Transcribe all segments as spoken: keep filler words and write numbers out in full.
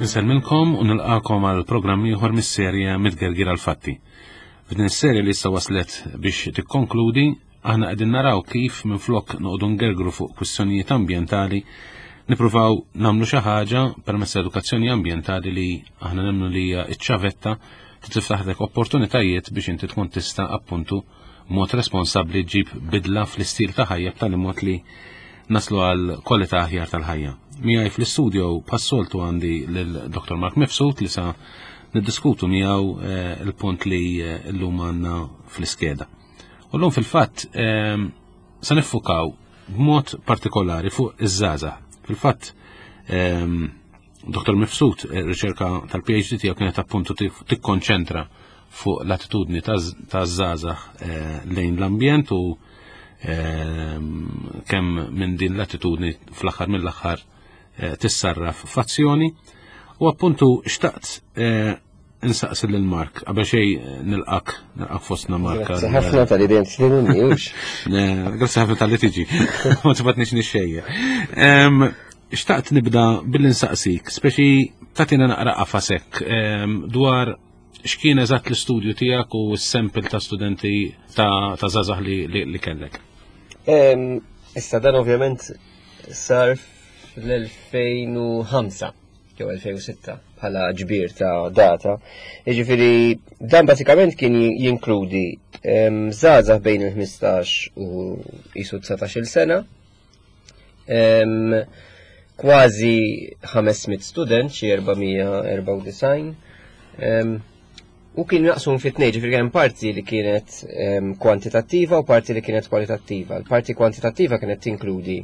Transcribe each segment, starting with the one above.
Insellmilkom u nilqakom għal programm ieħor mis-serje Mitgergir għal-Fatti. F'din is-serje li issa waslet biex tikkonkludi, aħna qegħdin naraw kif minflok noqogħdu ngergru fuq kwistjonijiet ambjentali, nippruvaw nagħmlu xi ħaġa permezz edukazzjoni ambjentali li aħna nemmnu li hija ċ-ċavetta tiftaħlek opportunitajiet biex inti tkun tista' appuntu mod responsabbli ġib bidla fl-istil ta' ħajja b'tali mod li naslu għal kwalità aħjar tal-ħajja. Miegħi fl-istudio bħas-soltu għandi lil Dottor Mark Mifsud li sa niddiskutu miegħu eh, il-punt li eh, llum għandna fl-iskeda. U llum fil-fatt eh, sa niffukaw b'mod partikolari fuq iż-żgħażagħ. Fil-fatt Dottor Mifsud, riċerka tal-P H D tiegħu kienet appuntu tikkonċentra fuq l-attitudni ta' żgħażagħ lejn l-ambjent u kemm minn din l-attitudni fl-aħħar mill-aħħar eh, tissarraf f'azzjoni. U appuntu xtaqt eh, insaqsi lil Mark, qabel xejn eh, nilqak nilqak fostna, Mark. Grazzi ħafna talli dejjem tistedinni. Grazzi ħafna talli tiġi. Ma tibatniex nixxejja. Xtaqt nibda billi nsaqsik, speċi tagħtina naqra qafasek dwar x'kien eżatt l-istudju tiegħek u s-sample ta' studenti ta' żgħażagħ li, li kellek. Issa, dan ovvjament sar fl-elfejn u ħamsa jew elfejn u sitta bħala ġbir ta' data. Jiġifieri dan basikament kien jinkludi żgħażagħ bejn il-ħmistax u jisu dsatax-il sena. Kważi ħames mitt student, xi erba' mija u erbgħa u disgħin. U kien naqsum fit tnejn, ġifieri kien parti li kienet kwantitattiva u parti li kienet kwalitattiva. L-parti kwantitattiva kienet tinkludi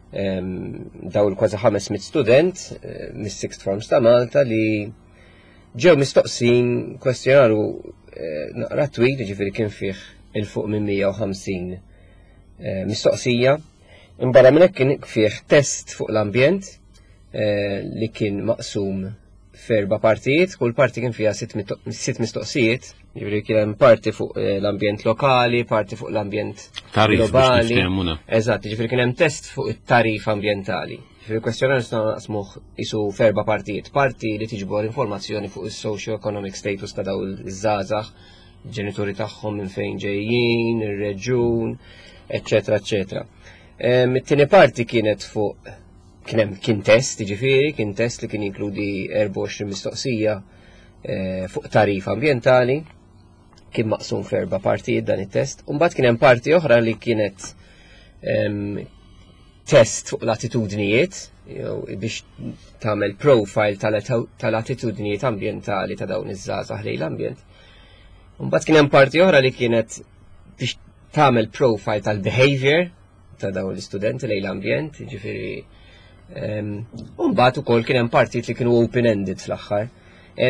daw il-kważi ħames mitt student eh, mis-sixth forms ta' Malta li ġew mistoqsin kwestjonarju eh, naqra twil, ġifieri kien fih 'il fuq minn mija u ħamsin eh, mistoqsija. Imbarra minn hekk kien fih test fuq l-ambjent li kien maqsum f'erba' partijiet, kull parti kien fiha sitt mistoqsijiet, jiġifieri kien hemm parti fuq eh, l-ambjent lokali, parti fuq l-ambjent globali. Eżatt, jiġifieri kien hemm test fuq it-tarif ambjentali. Jiġifieri kwestjonarju nistgħu naqsmuh isu f'erba' partijiet. Parti li tiġbor informazzjoni fuq is-socio-economic status ta' dawn iż-żgħażagħ, ġenituri tagħhom, minn fejn ġejjin, ir-reġun, eċċetera, eċċetera. It-tieni parti kienet fuq kien hemm kien test, ġifieri, kien test li kien jinkludi erbgħa u għoxrin mistoqsija eh, fuq tarif ambientali, kien maqsum f'erba' partijiet dan it-test. Mbagħad kien hemm parti oħra li kienet test fuq l-attitudnijiet, biex tagħmel profile tal-attitudnijiet ambientali ta' dawn iż-żgħażagħ lejn l-ambjent. Mbagħad kien hemm parti oħra li kienet biex tagħmel profile tal-behavior ta' dawn l-istudenti lejn l-ambjent, ġifieri. Umbagħad ukoll kien hemm partijiet li kienu open-ended fl-aħħar.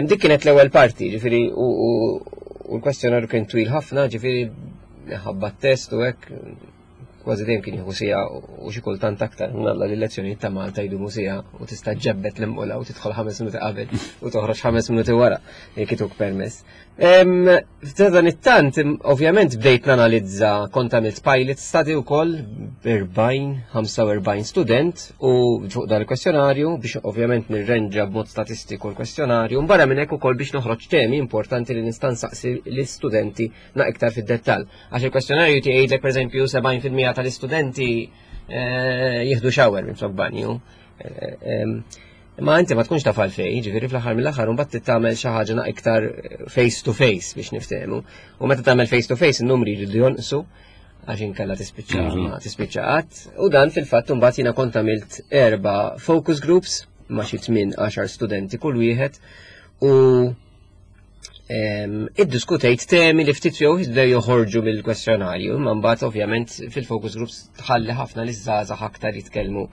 Dik kienet l-ewwel parti, ġifieri u l-kwestjonarju kien twil ħafna, ġifieri ħabba test u hekk kważi dejjem kien jieħu siegħa u xi kultant aktar. Nalla li lezzjonijiet ta' Malta jdumu siegħa u tista' ġebbet l-imqula u tidħol ħames minuti qabel u toħroġ ħames minuti wara jekk ituk permess. F'dan it-tant, ovvjament bdejt nanalizza, kont għamilt pilot study wkoll b'erbgħin, ħamsa u erbgħin student u fuq dan il-kwestjonarju biex ovvjament nirrenġa b'mod statistiku l-kwestjonarju, barra minn hekk ukoll biex noħroġ temi importanti li nista' nsaqsi l-istudenti na iktar fid-dettall. Għax il-kwestjonarju jgħidlek, pereżempju, sebgħin fil-mija tal-istudenti eh, jieħdu shower minn flok banju. Eh, Ma inti ma tkunx taf għalfejn, ġifieri fl-aħħar mill-aħħar mbagħad tagħmel xi ħaġa iktar face to face biex niftehmu. U meta tagħmel face to face, in-numri jridu jonqsu għax inkella tispiċċa mhm. ma tispiċċa qatt. U dan fil-fatt mbagħad jiena kont għamilt erba' focus groups ma' xi tmien għaxar studenti kull wieħed u iddiskutejt temi li ftit jew jibdew joħorġu mill-kwestjonarju, imma mbagħad ovvjament fil-focus groups tħalli ħafna li żgħażagħ aktar jitkellmu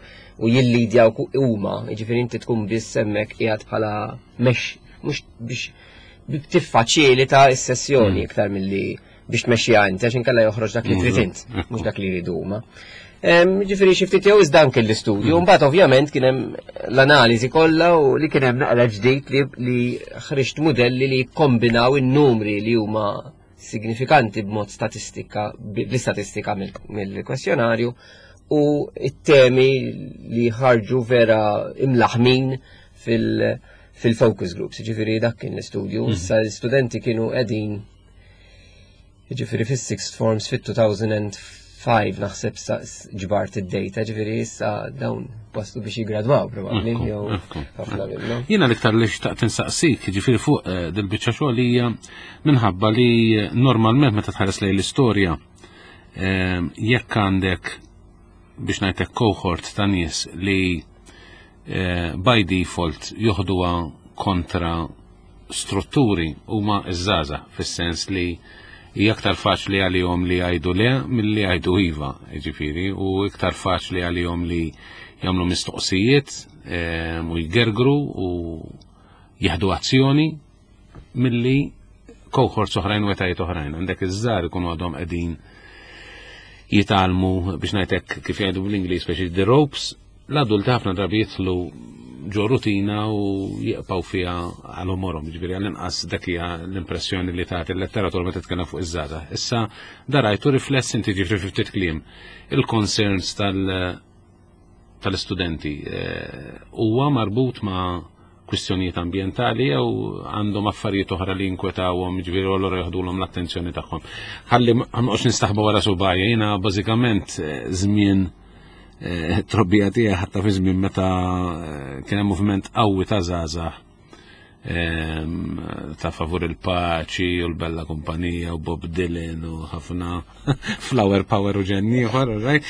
u jillidjaw huma, jiġifieri inti tkun biss hemmhekk qiegħed bħala mex mhux biex tiffaċilita s-sessjoni mm. iktar milli biex tmexxiha inti, għax inkella joħroġ dak li trid int, mhux dak li jridu huma. Ġifieri xi ftit jew iżda anke l-istudju, mm. mbagħad ovvjament kien hemm l-analiżi kollha u li kien hemm naqra ġdid li, li ħriġt modelli li kombinaw in-numri li huma signifikanti b'mod statistika, bl-istatistika mill-kwestjonarju u it-temi li ħarġu vera imlaħmin fil- fil-focus groups, ġifieri dak kien l-istudju, mhm. issa l-studenti kienu qegħdin ġifieri fis-sixth forms fit-elfejn u ħamsa naħseb ġbart id-data, ġifieri issa dawn waslu biex jigradwaw probabbli jew ħafna minnhom. Jiena l-iktar li xtaqt insaqsik, ġifieri fuq eh, dil-biċċa xogħol hija minħabba li normalment meta tħares lejn l-istorja eh, jekk għandek, biex ngħidlek, cohort ta' nies li eh, by default joħduha kontra strutturi huma iż-żgħażagħ, fis-sens li hija aktar faċli għalihom li jgħidu le milli jgħidu iva, ġifieri, u iktar faċli għalihom li jagħmlu mistoqsijiet u jgergru u jieħdu azzjoni milli cohorts oħrajn u etajiet oħrajn. Għandek iż-żgħar ikunu għadhom qegħdin jitgħallmu, biex ngħidlek, kif jgħidu bl-Ingliż, speċi the ropes, l-adulti ħafna drabi jidħlu ġo rutina u jibqgħu fiha għal għomorhom, ġifieri għall-inqas dak hija l-impressjoni li tagħti l-letteratura meta titkellem fuq iż-żgħażagħ. Issa darajtu rifless inti, ġifieri fi ftit kliem, il-concerns tal- tal-istudenti eh, huwa marbut ma' kwistjonijiet ambientali jew għandhom affarijiet oħra li jinkwetawhom, ġifieri allura jaħdulhom l-attenzjoni tagħhom? Ħalli ma noqgħodx nistaħba wara subgħajja, jiena bażikament eh, żmien eh, trobbija tiegħi, ħatta fi żmien meta kien hemm moviment qawwi ta' żgħażagħ ta' favur il-paċi u l-bella kumpanija u Bob Dylan u ħafna flower power u ġenn ieħor, right?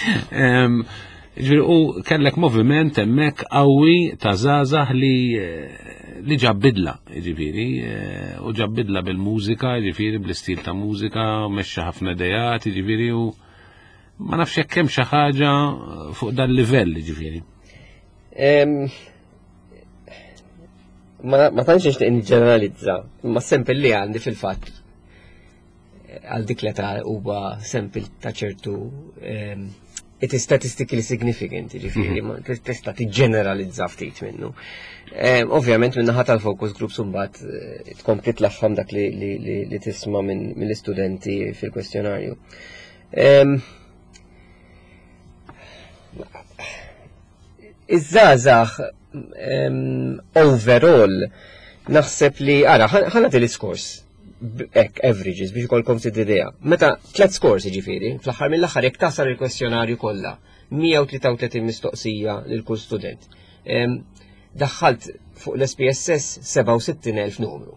Ġifieri, u kellek moviment hemmhekk qawwi ta' żgħażagħ li li ġab bidla, ġifieri, u ġab bidla bil-mużika, ġifieri bl-istil ta' mużika, mexxa ħafna idejat, ġifieri, u ma nafx jekk hemm xi ħaġa fuq dan livell, ġifieri. Em, Ma ma tantx nixtieq niġġeneralizza, imma sample li għandi fil-fatt għal dik l-età huwa sample ta' ċertu em, it is statistically significant, ġifieri, ma tista' tiġġeneralizza ftit minnu. Em, Ovvjament minn naħa tal-focus groups imbagħad eh, tkompli tlaħħam dak li, li, li, li tisma' minn mill-istudenti fil-kwestjonarju. Em, Iż-żgħażagħ em, overall naħseb li ara ħa nagħti l-iskors hekk averages biex ikollkom ftit idea. Meta tliet scores, jiġifieri, fl-aħħar mill-aħħar jekk tasal il-kwestjonarju kollha, mija u tlieta u tletin mistoqsija lil kull student. Em, Daħħalt fuq l-S P S S sebgħa u sittin elf numru.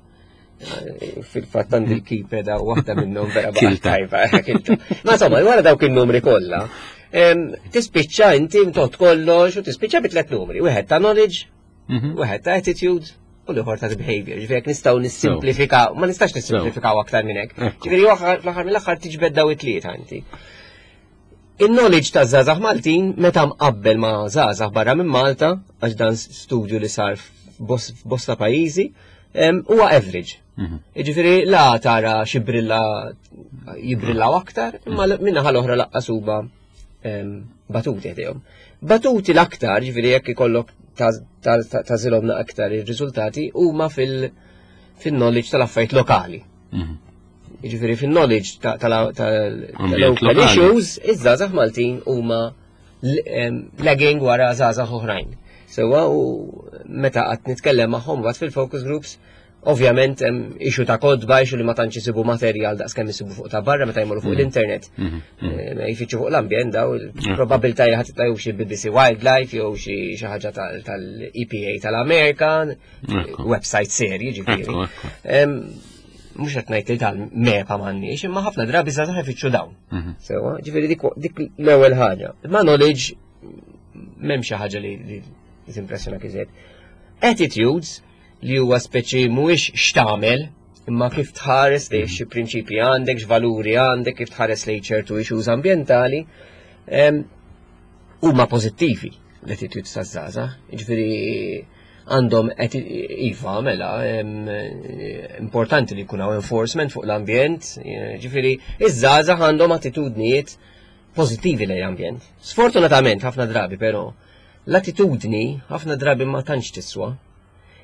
Eh, Fil-fatt għandi l-keypad u waħda minnhom vera baqgħet Kilta. tajba, kilta. Ma insomma, wara dawk il-numri kollha, em, tispiċċa inti mtot kollox u tispiċċa bi tliet numri. Wieħed ta' knowledge, Mhm. wieħed ta' attitude u l-ieħor ta' behavior. Ġifieri jekk nistgħu nissimplifikaw, ma nistax nissimplifikaw aktar minn hekk. Ekku. Ġifieri waħ- fl-aħħar mill-aħħar tiġbed daw it-tlieta inti. Il-knowledge ta' żgħażagħ Maltin meta mqabbel ma' żgħażagħ barra minn Malta, għax dan studju li sar f'bos- f'bosta pajjiżi, em, huwa average. Mhm. Ġifieri la tara xi brilla jibrillaw aktar, imma min-naħa l-oħra lanqas huma em, batuti ħdejhom. Batuti l-aktar, ġifieri jekk ikollok tagħżilhom aktar ir-riżultati huma fil- fil-knowledge tal-affarijiet lokali. Mhm. Ġifieri fil-knowledge ta- tal- tal- Ambjent tal-local lokali. issues, iż-żgħażagħ Maltin huma l- em, lagging wara żgħażagħ oħrajn. Sewa, u meta qatt nitkellem magħhom mbagħad fil-focus groups, ovvjament hemm issue ta' kotba, issue li ma tantx isibu materjal daqs kemm isibu fuq ta' barra meta jmorru fuq l-internet. Mhm. Eh, ma jfittxu fuq l-ambjent daw, probabilità li ħadd jew xi B B C Wildlife jew xi xi ħaġa tal- tal-E P A tal-Amerika, Ekku. website serji ġifieri. Ekku, ekku. Em, Mhux qed ngħid li tal-MEPA m'għandniex, imma ħafna drabi żgħażagħ ifittxu dawn. Mhm. Sewa, ġifieri dik dik l-ewwel ħaġa. Ma knowledge m'hemm xi ħaġa li li li timpressjona iżjed. Attitudes, li huwa speċi mhuwiex x'tagħmel, imma kif tħares li xi prinċipji għandek, x'valuri għandek, kif tħares lejn ċertu issues ambjentali, em, huma pożittivi l-attitudes taż-żgħażagħ. Ġifieri għandhom eti- iva, mela, em, importanti li jkun hawn enforcement fuq l-ambjent, eh, ġifieri iż-żgħażagħ għandhom attitudnijiet pożittivi lejn l-ambjent. Sfortunatament ħafna drabi però l-attitudni ħafna drabi ma tantx tiswa.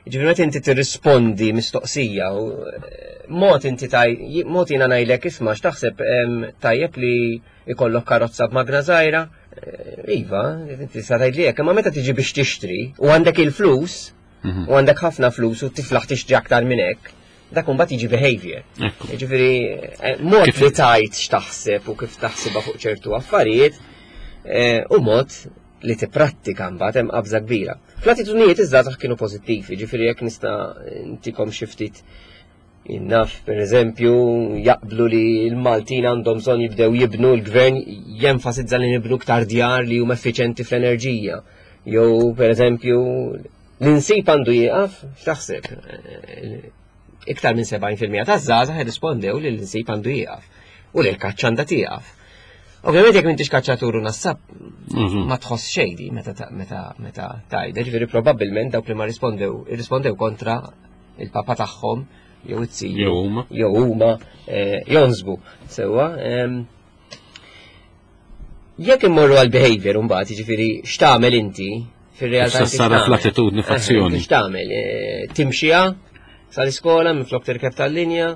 Ġifieri meta inti tirrispondi mistoqsija u eh, mod inti taj, mod jiena ngħidlek, isma', x'taħseb, em, tajjeb li ikollok karozza b'magna żgħira? Eh, Iva, inti sa tgħidli hekk, imma meta tiġi biex tixtri u għandek il-flus, u għandek ħafna flus u tiflaħ tixtri aktar minn hekk, dak imbagħad jiġi behavior. Ekku. Ġifieri, eh, mod Kif- li tajt x'taħseb u kif taħsibha fuq ċertu affarijiet, eh, u mod li tipprattika mbagħad hemm qabża kbira. Fl-attitudnijiet iż-żgħażagħ kienu pożittivi, ġifieri jekk nista' ntikom xi ftit Innaf, per eżempju, jaqblu li l-Maltin għandhom bżonn jibdew jibnu, l-gvern jenfasizza li nibnu ktar djar li huma effiċenti fl-enerġija. Jew, per eżempju, l-insib għandu jieqaf, x'taħseb? Eh, Iktar minn sebgħin fil-mija taż-żgħażagħ irrispondew li l-insib għandu jieqaf u li l-kaċċa għandha tieqaf. Ovvjament jekk m'intix kaċċatur u nassab Mhm. ma tħoss xejdi meta ta- meta meta tajda, ġifieri probabbilment dawk li ma rispondew irrispondew kontra il-papa tagħhom jew it-siju Jew huma. jew huma eh, jonsbu. Sewwa. em, Jekk immorru għal behavior mbagħad, jiġifieri x'tagħmel inti fir-realtà Issa inti sara x'tagħmel? fl-attitudni Eh, f'azzjoni. inti X'tagħmel? Eh, Timxiha sal-iskola minflok tirkeb tal-linja,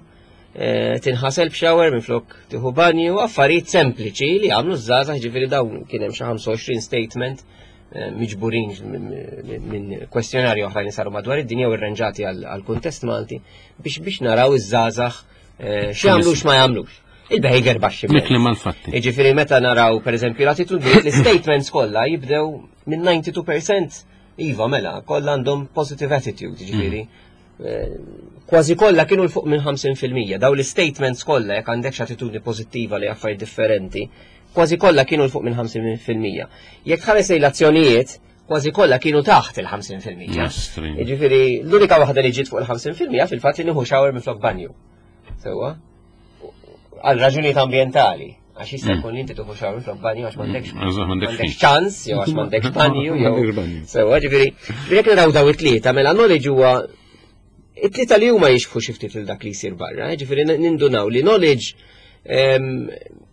eh, tinħasel b'shower minflok tieħu banju, affarijiet sempliċi li għamlu żgħażagħ, ġifieri dawn kien hemm xi ħamsa u għoxrin statement eh, miġburin minn- minn kwestjonarju oħrajn li saru madwar id-dinja u irranġati għal kuntest Malti biex biex naraw iż-żgħażagħ eh, x'jagħmlu x'ma jagħmlux. Il-behavior baxxi. Mikli mal-fatti. Jiġifieri meta naraw per eżempju l-attitudni, l-statements kollha jibdew minn disgħa u disgħin fil-mija iva mela, kollha għandhom positive attitude, jiġifieri. Eh, Kważi kollha kienu 'l fuq minn ħamsin fil-mija. Daw l-statements kollha jekk għandek attitudni pożittiva li affarijiet differenti, kważi kollha kienu 'l fuq minn ħamsin fil-mija. Jekk ħares lejn l-azzjonijiet, kważi kollha kienu taħt il-ħamsin fil-mija. Nostri. Jiġifieri l-unika waħda li ġiet fuq il-ħamsin fil-mija fil-fatt li nieħu shower minflok banju. Sewwa? Għal raġunijiet ambjentali. Għax jista' jkun li inti tieħu shower minflok banju għax m'għandekx Mm. Eżatt, m'għandekx m'għandekx ħin. ċans, jew għax m'għandekx banju, jew. M'għandekx banju. Sewwa, ġifieri, jekk naraw daw it-tlieta, mela knowledge huwa it-tlieta li huma jixbħu xi ftit lil dak li jsir barra, eh, ġifieri nindunaw li knowledge em,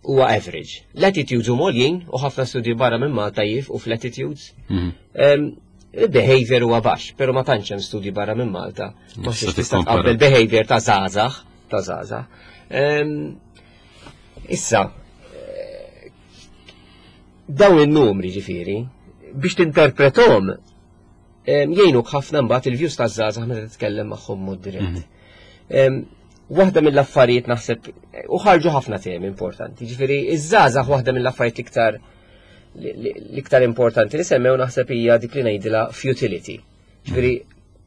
huwa average. L-attitudes huma għoljin u ħafna studji barra minn Malta jifqu fl-attitudes. Mhm. Em, Il-behavior huwa baxx, pero ma tantx hemm studji barra minn Malta. Ma Tista' tista' tista' tikkompara. tqabbel behavior ta' żgħażagħ, ta' żgħażagħ. Em, Issa, eh, dawn in-numri ġifieri, biex tinterpretom, em, jgħinuk ħafna mbagħad il-views ta' żgħażagħ meta titkellem magħhom mod dirett. Em, Waħda mill-affarijiet naħseb, u ħarġu ħafna temi importanti, ġifieri iż-żgħażagħ waħda mill-affarijiet iktar l-iktar importanti li semmew naħseb hija dik li ngħidilha futility. Ġifieri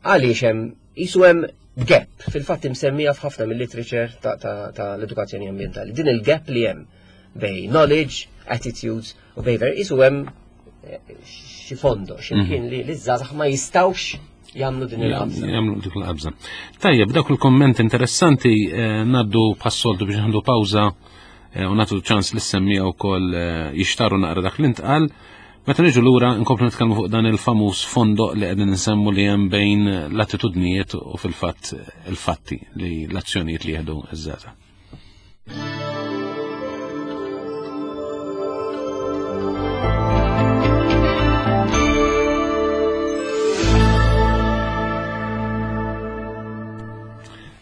għaliex hemm qisu hemm gap fil-fatt imsemmija f'ħafna mill-literature ta' ta' ta' l-edukazzjoni ambjentali. Din il-gap li hemm bejn knowledge, attitudes u behavior qisu hemm eh, xi fondo, x'imkien li l-żgħażagħ ma jistgħux jagħmlu din il-qabża. Jagħmlu dik il-qabża. Tajjeb, dawk il-komment interessanti eh, ngħaddu bħas-soltu biex nieħdu pawża eh, u nagħtu ċans lis-semmiegħa wkoll eh, jixtaru naqra dak li ntqal. Meta niġu lura nkomplu nitkellmu fuq dan il-famuż fondoq li qegħdin nsemmu li hemm bejn l-attitudnijiet u fil-fatt il-fatti li l-azzjonijiet li jieħdu iż-żgħażagħ.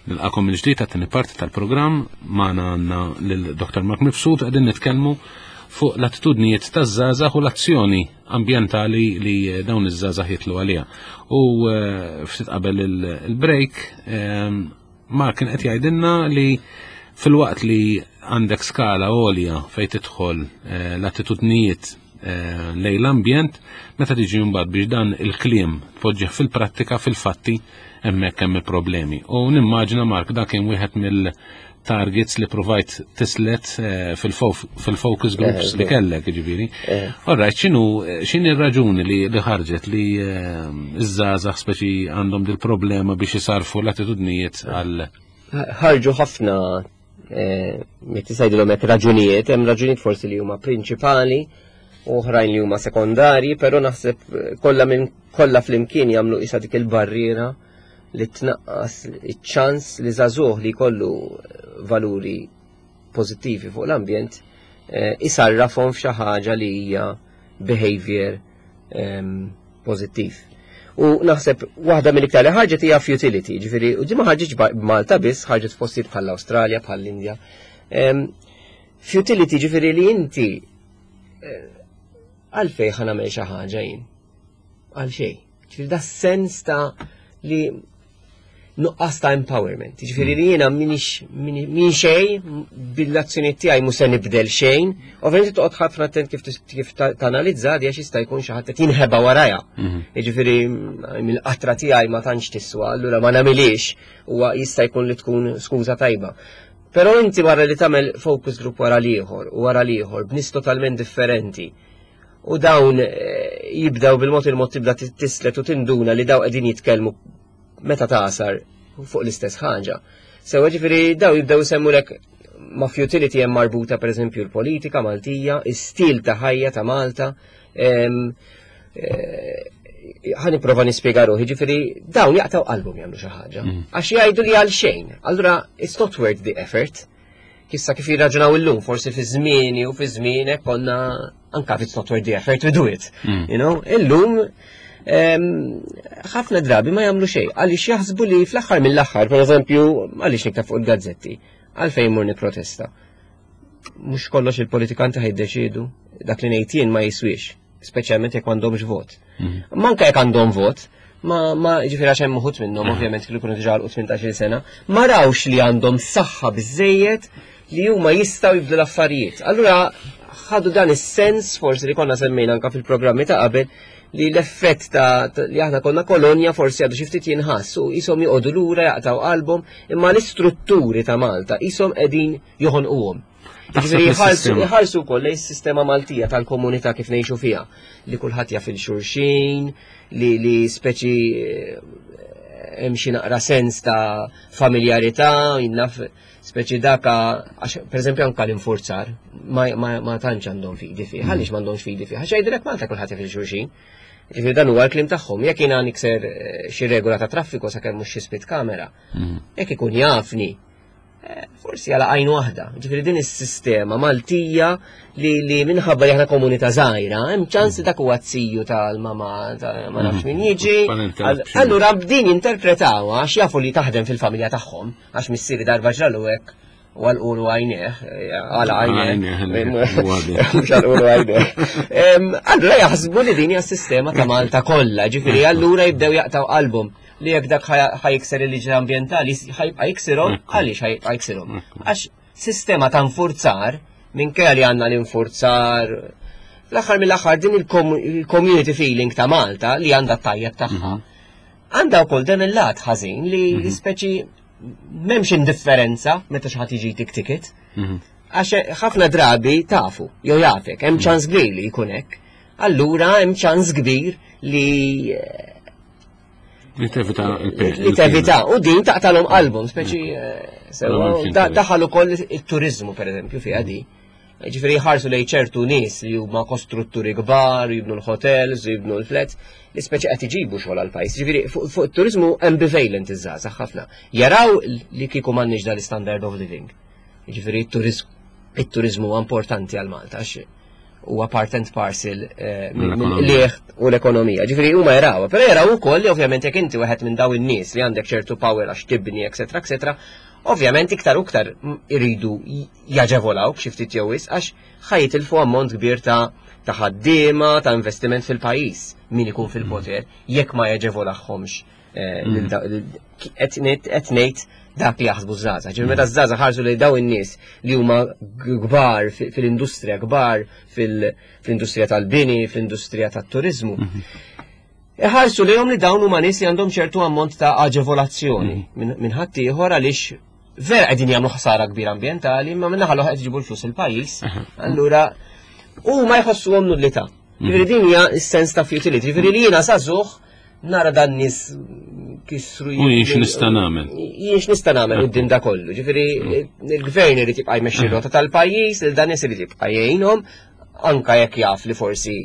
Nilqagħkom minn ġdid għat-tieni parti tal-programm. Magħna għandna lil Dottor Mark Mifsud, qegħdin nitkellmu fuq l-attitudnijiet taż-żgħażagħ u l-azzjoni ambjentali li dawn iż-żgħażagħ jitlu għaliha. U eh, ftit qabel il- il-break eh, Mark kien qed jgħidilna li filwaqt li għandek skala għolja fejn tidħol eh, l-attitudnijiet eh, lejn l-ambjent, meta tiġi mbagħad biex dan il-kliem tpoġġih fil-prattika, fil-fatti, hemmhekk hemm il-problemi. U nimmaġina, Mark, dak kien wieħed mill-targets li provajt tislet eh, fil-focus groups li kellek, ġifieri. All right, x'inhu x'inhi r-raġuni li li ħarġet li eh, iż-żgħażagħ speċi għandhom dil-problema biex isarfu l-attitudnijiet għal Ħarġu ħafna eh, jekk tgħidilhom hekk raġunijiet, hemm raġunijiet forsi li huma prinċipali u oħrajn li huma sekondarji, però naħseb eh, kollha minn kollha flimkien jagħmlu isa dik il-barriera li tnaqqas iċ-ċans li żagħżugħ li jkollu valuri pożittivi fuq l-ambjent eh, isarrafhom f'xi ħaġa li hija behavior ehm, pożittiv. U naħseb waħda mill-iktar li ħarġet hija futility, ġifieri, u di ma ħarġitx b'Malta biss, ħarġet f'postijiet bħall-Awstralja, bħall-Indja. Em, Futility ġifieri li inti eh, għalfejn ħa nagħmel xi ħaġa jien. Għal xejn. Ġifieri da sens ta' li nuqqas ta' empowerment. Ġifieri li jiena minix min xejn, bil-azzjoni tiegħi mhux se nibdel xejn. Ovvjament toqgħod ħafna attent kif kif tanalizza di, għax jista' jkun xi ħadd qed jinħeba warajha. Mhm. Jiġifieri mill-qatra tiegħi ma tantx tiswa, allura ma nagħmilix, huwa jista' jkun li tkun skuża tajba. Però inti wara li tagħmel focus group wara l-ieħor u wara l-ieħor b'nies totalment differenti, u dawn eh, jibdaw bil-mod il-mod tibda tislet u tinduna li daw qegħdin jitkellmu meta tasar fuq l-istess ħaġa. Sewa, ġifieri daw jibdew isemmulek ma' futility hemm marbuta, pereżempju, l-politika Maltija, is-stil ta' ħajja ta' Malta. Eh, ħa nipprova nispjega ruħi, ġifieri dawn jaqtaw qalbhom jagħmlu xi ħaġa. Mm. Għax jgħidu li għal xejn. Allura it's not worth the effort. Kissa kif jirraġunaw illum, forsi fi żmieni u fi żmienek konna anka if it's not worth the effort, we do it. Mm. You know, illum ħafna drabi ma jagħmlu xejn għaliex jaħsbu li fl-aħħar mill-aħħar, pereżempju, għaliex niktab fuq il-gazzetti, għalfejn mur nipprotesta? Mhux kollox il-politikanti ħa jiddeċiedu, dak li ngħid jien ma jiswix, speċjalment jekk m'għandhomx vot. Mhm. Manka jekk għandhom vot, ma ma ġifieri għax hemm uħud minnhom mhm. ovvjament kienu jkunu diġà tmintax-il sena, ma rawx li għandhom saħħa biżejjed li huma jistgħu jibdlu l-affarijiet. Allura ħadu dan is-sens forsi li konna semmejna anka fil-programmi ta' qabel, li l-effett ta' li aħna konna kolonja forsi għadu xi ftit jinħass u jisom joqogħdu lura, jaqtaw qalbhom, imma l-istrutturi ta' Malta jisom qegħdin joħonquhom. Ġifieri jħarsu wkoll lejn is-sistema Maltija tal-komunità kif ngħixu fiha, li kulħadd jaf il-xulxin, li li speċi eh, hemm xi naqra sens ta' familjarità, jinnaf speċi daka, għax pereżempju anka l-infurzar ma, ma, ma tantx għandhom fidi fih, għaliex m'għandhomx fidi fih? Għax jgħidulek Malta kulħadd jaf il-xulxin. Ġifieri dan huwa l-kliem tagħhom. Jekk jiena nikser eh, xi regola ta' traffiku, sakemm mhux xi speed camera, mhm. jekk ikun jafni, eh, forsi għala għajn waħda. Ġifieri din is-sistema Maltija li, li minħabba li aħna komunità żgħira, hemm ċans dak huwa ziju tal-mama ta' ma nafx min jiġi. Allura b'din jinterpretawha għax jafu li taħdem fil-familja tagħhom, għax missieri darba ġralu hekk u għalqulu għajnejh, għala għajnejh, mhux għalqulu għajnejh. Allura jaħsbu li din hija s-sistema ta' Malta kollha, ġifieri allura jibdew jaqtaw qalbhom li jekk dak ħa jikser il-liġi ambjentali ħa jibqa' jiksirhom, għaliex ħa jibqa' jiksirhom? Għax sistema ta' nfurzar, minkejja li għandna l-infurzar, fl-aħħar mill-aħħar din il-community feeling ta' Malta li għandha tajjeb tagħha, għandha wkoll dan il-lat ħażin li mhm. speċi m'hemmx indifferenza meta xi ħadd jiġi tik ticket. Mhm. Għax ħafna drabi tafu, jew jafek, hemm ċans kbir li jkun hekk. Allura hemm ċans kbir li Li tevita il Li tevita, u din taqtalhom qalbhom, speċi eh, daħal ukoll it-turizmu, pereżempju, fiha di. Ġifieri jħarsu lejn ċertu nies li huma kostrutturi kbar, jibnu l-hotels, jibnu l-flats, li speċi qed iġibu xogħol għall-pajjiż. Ġifieri fuq it-turizmu ambivalent iż-żgħażagħ ħafna. Jaraw li kieku m'għandniex dal-standard of living. Ġifieri it-turizmu huwa importanti għal Malta għax huwa part and parcel eh, mill-lieħ u l-ekonomija. Ġifieri huma jaraw, però jaraw ukoll li ovvjament jekk inti wieħed minn daw in-nies li għandek ċertu power għax tibni, eċetera, eċetera, ovvjament iktar u iktar iridu jaġevolaw xi ftit jew għax ħa jitilfu ammont kbir ta' ta' ħaddiema, ta' investiment fil-pajjiż min ikun fil-poter jekk ma jaġevolahomx eh, mm. qed ngħid dak li jaħsbu żgħażagħ. Ġifieri meta żgħażagħ ħarsu li daw in-nies li huma kbar fil-industrija, kbar fil-industrija tal-bini, fil-industrija tat-turizmu. Mhm. Iħarsu li li dawn huma nies li għandhom ċertu ammont ta' aġevolazzjoni mhm. minn ħadd ieħor, għaliex vera qegħdin jagħmlu ħsara kbira ambjentali, imma minn naħa l qed iġibu l-flus il-pajjiż. Allura huma jħossuhom nullità. Ġifieri din hija s-sens ta' futility. Ġifieri li jiena żagħżugħ nara dan nies kisru. U jien x'nista' nagħmel? Jien x'nista' nagħmel quddiem da kollu? Ġifieri il-gvern irid jibqa' jmexxi rota tal-pajjiż, il dan nies irid jibqa' jgħinhom, anka jekk jaf li forsi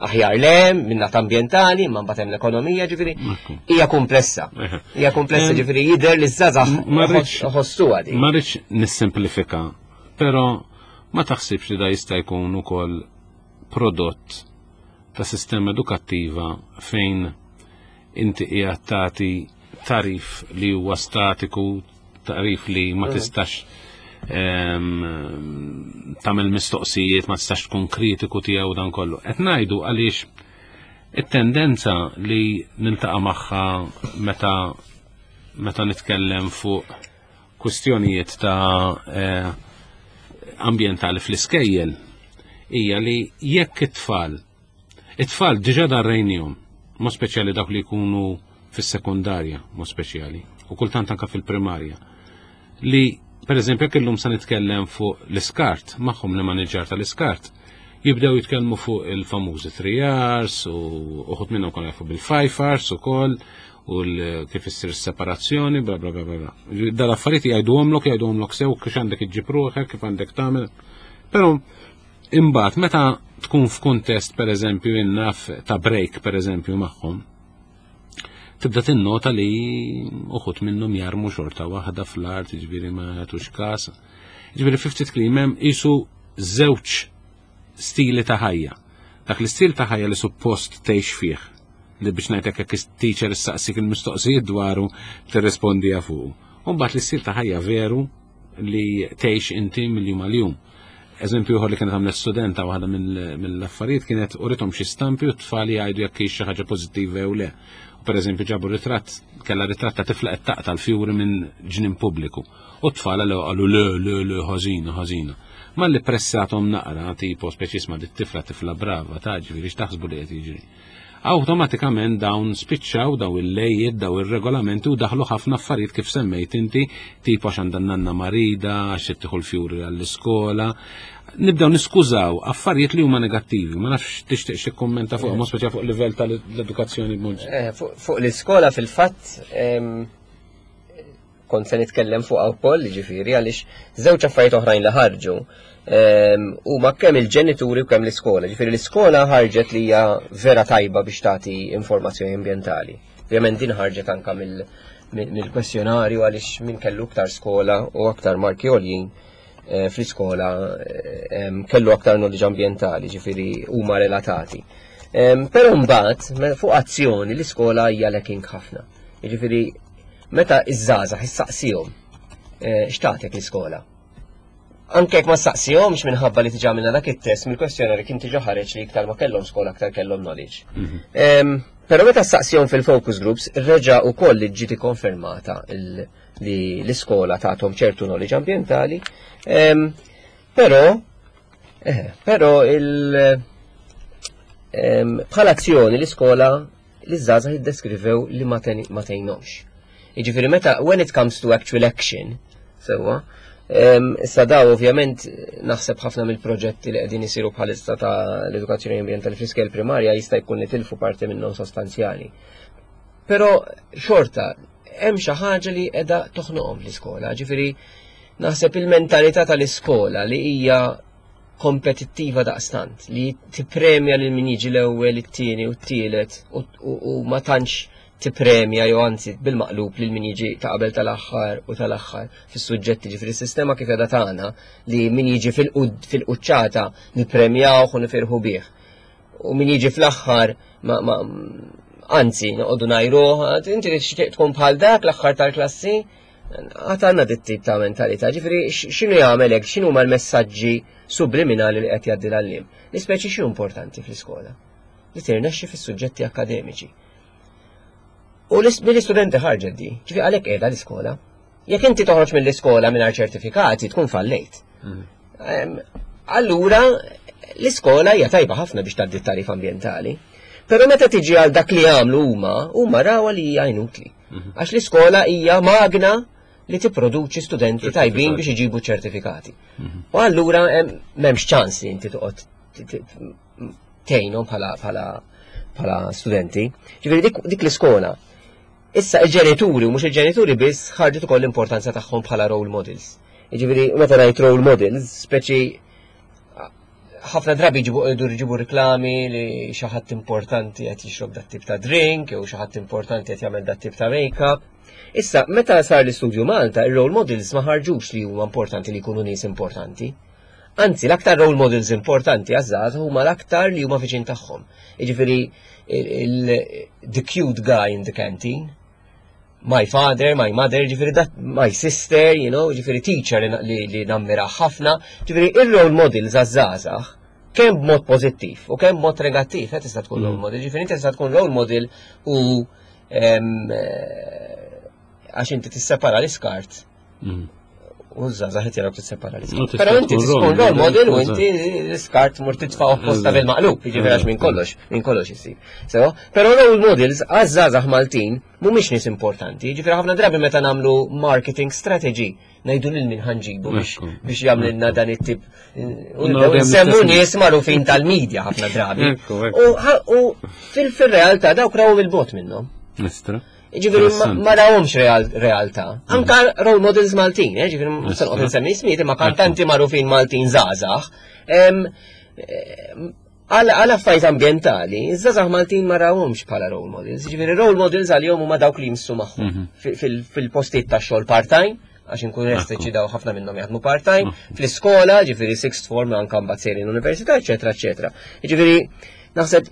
aħjar le minn ambjentali, imma mbagħad hemm l-ekonomija, ġifieri hija komplessa. Hija komplessa, ġifieri jidher li żgħażagħ ħossuha di. Ma rridx nissimplifika, però ma taħsibx li da jista' jkun ukoll prodott ta' sistema edukattiva fejn inti qiegħed tagħti tagħrif li huwa statiku, tagħrif li ma mm. tistax tagħmel mistoqsijiet, ma tistax tkun kritiku tiegħu dan kollu? Qed ngħidu għaliex It-tendenza li niltaqa' magħha meta meta nitkellem fuq kwistjonijiet ta' eh, ambjentali fl-iskejjel hija li jekk it-tfal it-tfal diġà darrejnihom, mod speċjali dawk li jkunu fis-sekondarja, mod speċjali, u kultant anka fil-primarja, li per eżempju jekk illum se nitkellem fuq l-iskart, magħhom li maniġġar tal-iskart, jibdew jitkellmu fuq il-famużi three R's u uħud minnhom konu jafu bil-five R's ukoll u kif issir separazzjoni, bla bla bla bla. Dal-affarijiet jgħiduhomlok, jgħiduhomlok sew kif għandek iġġib ruħek, kif għandek tagħmel. Però imbagħad meta tkun f'kuntest pereżempju innaf ta' break pereżempju magħhom, tibda tinnota li uħud minnhom jarmu xorta waħda fl-art, ġifieri ma jagħtux każ. Ġifieri fi ftit kliem hemm qisu żewġ stili ta' ħajja. Dak l-istil ta' ħajja li suppost tgħix fih, li biex ngħidlek jekk teacher issaqsik il-mistoqsijiet dwaru tirrispondi fuq. U mbagħad l-istil ta' ħajja veru li tgħix inti mill-jum għal-jum. Eżempju ieħor li kienet għamlet studenta waħda mill-affarijiet kienet urithom xi stampi u t-tfal jgħidu jekk hix xi ħaġa pożittiva jew le. U per eżempju ġabu ritratt, kellha ritratt ta' tifla qed taqta' l-fjuri minn ġnien pubbliku. U t-tfal qalu le, le, le, ħażina, ħażina. Malli pressathom naqra, tipo speċi isma' dit-tifla tifla brava, ta' ġifieri x'taħsbu li qed jiġri. Awtomatikament dawn spiċċaw daw il-lejiet, daw il-regolamenti u daħlu ħafna affarijiet kif semmejt inti, tipo għax għandha nanna marida, għax tieħu l-fjuri għall-iskola. Nibdew niskużaw affarijiet li huma negattivi, ma nafx tixtieq xi kummenta fuq, mod speċjali fuq livell tal-edukazzjoni b'mod. Eh, fuq l-iskola fil-fatt kont se nitkellem fuq wkoll, ġifieri għaliex żewġ affarijiet oħrajn li ħarġu huma kemm il-ġenituri u kemm l-iskola. Ġifieri l-iskola ħarġet li hija vera tajba biex tagħti informazzjoni ambjentali. Ovvjament din ħarġet anka mill-kwestjonarju għaliex min kellu aktar skola u aktar marki għoljin eh, fl-iskola kellu aktar knowledge ambjentali, ġifieri huma relatati. Però mbagħad fuq azzjoni l-iskola hija lacking ħafna. Ġifieri meta iż-żgħażagħ issaqsihom eh, x'tagħtek l-iskola. Anke jekk ma saqsihomx minħabba li diġà minna dak it-test mill-kwestjonarju kien diġà ħareġ li iktar ma kellhom skola aktar kellhom knowledge. Mhm. Però meta saqsihom fil-focus groups reġa' ukoll li ġiet ikkonfermata li l-iskola tagħthom ċertu knowledge ambjentali. Però eh, però il bħala azzjoni l-iskola li żgħażagħ jiddeskrivew li ma tgħinhomx. Jiġifieri meta when it comes to actual action, sewwa, issa daw ovvjament naħseb ħafna mill-proġetti li qegħdin isiru bħalissa ta' l-edukazzjoni ambjentali fl-iskejjel primarja jista' jkun li tilfu parti minnhom sostanzjali. Però xorta hemm xi ħaġa li qiegħda toħnoqhom fl-iskola, ġifieri naħseb il-mentalità tal-iskola li hija kompetittiva daqstant, li tippremja lil min jiġi l-ewwel, it-tieni u t-tielet u ma tantx tippremja jew anzi bil-maqlub lil min jiġi ta' qabel tal-aħħar u tal-aħħar fis-suġġetti, ġifieri s-sistema kif qiegħda tagħna li min jiġi fil-quċċata nippremjawh u nifirħu bih. U min jiġi fl-aħħar ma, ma anzi noqogħdu ngħajruh, inti tixtieq tkun bħal dak l-aħħar tal-klassi, għad għandna dit tip ta' mentalità, ġifieri x'inhu jagħmel hekk, x'inhu huma l-messaġġi subliminali li qed jgħaddi l-għalliem. L-ispeċi x'inhu importanti fl-iskola? Li tirnexxi fis-suġġetti akademiċi. U mill-istudenti ħarġet di, ġifieri għalhekk qiegħda l-iskola. Jekk inti toħroġ mill-iskola mingħajr ċertifikati tkun fallejt. Mhm. Allura l-iskola hija tajba ħafna biex tgħaddi t-tagħrif ambjentali. Però meta tiġi għal dak li għamlu huma, huma rawha li hija inutli. Mhm. Għax l-iskola hija magna li tipproduċi studenti tajbin biex iġibu ċertifikati. Mhm. U allura m'hemmx ċans li inti toqgħod tgħinhom bħala bħala bħala studenti. Ġifieri dik, dik l-iskola. Issa il-ġenituri, u mhux il-ġenituri biss, ħarġet ukoll l-importanza tagħhom bħala role models. Ġifieri meta ngħid role models, speċi ħafna drabi ġibu ġibu riklami li xi ħadd importanti qed jixrob dat tip ta' drink jew xi ħadd importanti qed jagħmel dat tip ta' make-up. Issa, meta sar l-istudju Malta, ir-role models ma ħarġux li huma importanti li jkunu nies importanti. Anzi, l-aktar role models importanti għaż-żgħażagħ huma l-aktar li huma viċin tagħhom. Jiġifieri the cute guy in the canteen, my father, my mother, ġifieri that, my sister, you know, ġifieri teacher li, li, li nammira ħafna, ġifieri il-role models għaż-żgħażagħ Kemm b'mod pożittiv u kemm b'mod negattiv, eh, tista' tkun role model. Ġifieri inti tista' tkun role model u em, eh, għax inti tissepara l-iskart Mm. u żgħażagħ qed jaraw tissepara U l-iskart. tista' Però inti tkun tkun role role model u model, inti l-iskart mur titfa' opposta Eżatt. bil-maqlub, jiġifieri għax minn kollox, minn kollox isir. So, però role models għaż-żgħażagħ Maltin mhumiex nies importanti, jiġifieri ħafna drabi meta nagħmlu marketing strategy ngħidu lil min ħa nġibu biex Ekku. biex jagħmlilna dan it-tip. U No, nibdew dejjem nsemmu l-istess nies magħrufin tal-medja ħafna drabi. Ekku, ekku. U ħa- U fil-realtà dawk raw il-bogħod minnhom. Nistra. Ġifieri ma- Interessanti. ma rawhomx real, realtà. Anka role models Maltin, eh, ġifieri mhux se noqgħod insemmi ismijiet imma kantanti magħrufin Maltin żgħażagħ. Em, em, Għal għal affarijiet ambjentali, iż-żgħażagħ Maltin ma rawhomx bħala role models. Ġifieri role models għalihom huma dawk li jmissu magħhom Mhm. Fi- fil- fil-postijiet ta' xogħol part-time, għax inkun Ekku. daw ħafna minnhom jaħdmu part-time, fl-iskola, ġifieri sixth form anka mbagħad sejrin università, eċetera, eċetera. Ġifieri naħseb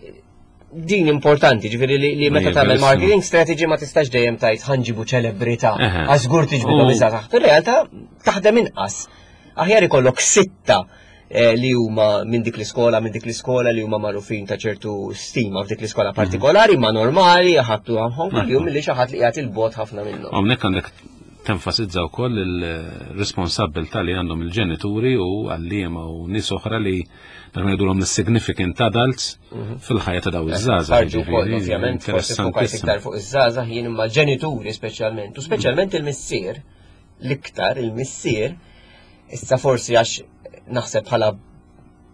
din importanti, ġifieri li, li meta Ija, tagħmel verissimo. marketing strategy ma tistax dejjem tgħid ħa nġibu ċelebrità, Eħe. għax żgur tiġbidhom U- iż-żgħażagħ. Fir-realtà taħdem inqas. Aħjar ikollok sitta eh, li huma minn dik l-iskola, minn dik l-iskola li huma magħrufin ta' ċertu stima f'dik l-iskola partikolari, ma normali, ħattu għamħom kuljum li xi ħadd li qiegħed il-bogħod ħafna minnhom. Hawnhekk għandek tenfasizza wkoll il-responsabbiltà li għandhom il-ġenituri u għalliema u nies oħra li dak ngħidulhom is-significant adults fil-ħajja ta' daw iż-żgħażagħ. Ħarġu wkoll, jiġifieri, ovvjament, forsi fukajt Interessantissimo. iktar fuq iż-żgħażagħ jien imma l-ġenituri speċjalment, u speċjalment il-missier, l-iktar il-missier, issa forsi għax naħseb bħala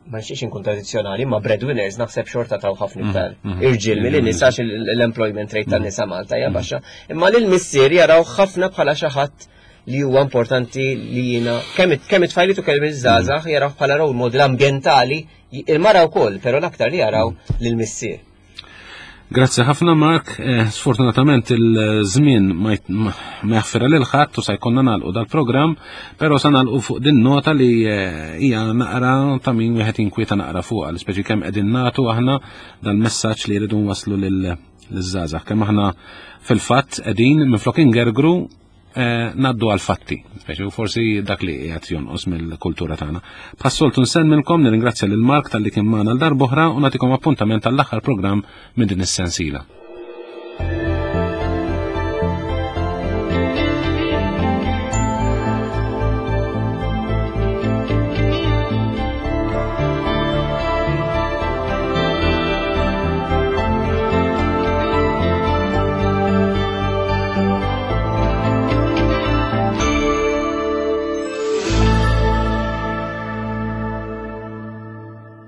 ma nixtieqx inkun tradizzjonali, ma breadwinners naħseb xorta taw ħafna iktar mhm. irġiel milli nisa għax l-employment rate tan-nisa Malta hija baxxa. Imma lil missier jaraw ħafna bħala xi ħadd li huwa importanti li jiena kemm it- kemm it-tfajliet u kemm iż-żgħażagħ jaraw bħala role model ambjentali, il-mara wkoll, però l-aktar li jaraw lil missier. Grazzi ħafna Mark, eh, sfortunatament il-żmien ma jt- ma ma jaħfirha lil ħadd u sa jkollna nagħlqu dal-programm, però sa nagħlqu fuq din nota li eh, hija naqra ta' min wieħed jinkwieta naqra fuqha, speċi kemm qegħdin nagħtu aħna dal-messaġġ li jridu nwasslu lil liż-żgħażagħ. Kemm aħna fil-fatt qegħdin minflok ingergru eh, ngħaddu għal-fatti, speċi u forsi dak li qiegħed jonqos mill-kultura tagħna. Bħas-soltu nsellmilkom, nirringrazzja lil Mark talli kien magħna l darb'oħra u nagħtikom appuntament għall-aħħar programm minn din is-sensiela.